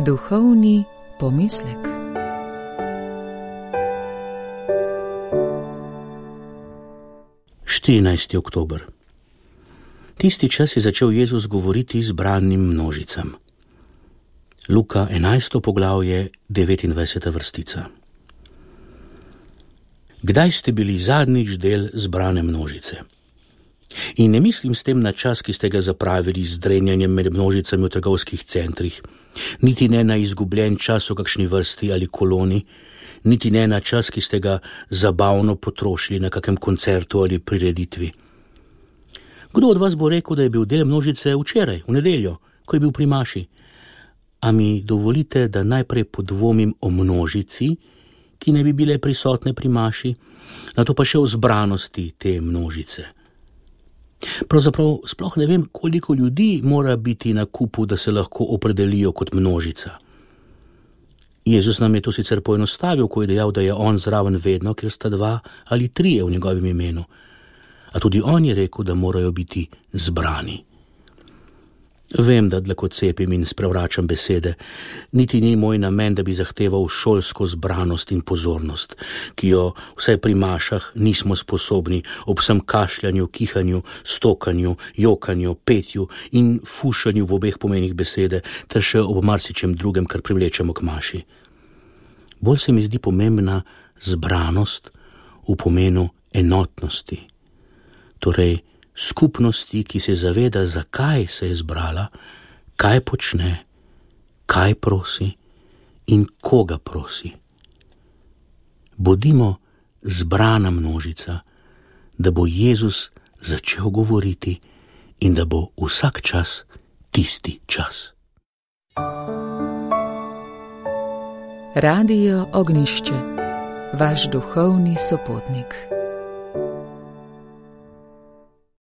Duhovni pomislek. Oktober. Tisti čas je začel Jezus govoriti zbranim množicam. Luka 11. poglavje, 29. vrstica. Kdaj ste bili zadnjič del zbrane množice? In ne mislim s tem na čas, ki ste ga zapravili z drenjanjem med množicami v trgovskih centrih, niti ne na izgubljen čas v kakšni vrsti ali koloni, niti ne na čas, ki ste ga zabavno potrošili na kakem koncertu ali prireditvi. Kdo od vas bo rekel, da je bil del množice včeraj, v nedeljo, ko je bil pri maši? A mi dovolite, da najprej podvomim o množici, ki ne bi bile prisotne pri maši, nato pa še o zbranosti te množice. Pravzaprav sploh ne vem, koliko ljudi mora biti na kupu, da se lahko opredelijo kot množica. Jezus nam je to sicer poenostavil, ko je dejal, da je on zraven vedno, ker sta 2 ali 3 v njegovem imenu. A tudi on je rekel, da morajo biti zbrani. Vem, da dlakocepim in sprevračam besede. Niti ni moj namen, da bi zahteval šolsko zbranost in pozornost, ki jo vsaj pri mašah nismo sposobni ob vsem kašljanju, kihanju, stokanju, jokanju, petju in fušanju v obeh pomenih besede, ter še ob marsičem drugem, kar privlečemo k maši. Bolj se mi zdi pomembna zbranost v pomenu enotnosti, torej skupnosti, ki se zaveda, zakaj se je zbrala, kaj počne, kaj prosi in koga prosi. Bodimo zbrana množica, da bo Jezus začel govoriti in da bo vsak čas tisti čas. Radio Ognjišče, vaš duhovni sopotnik.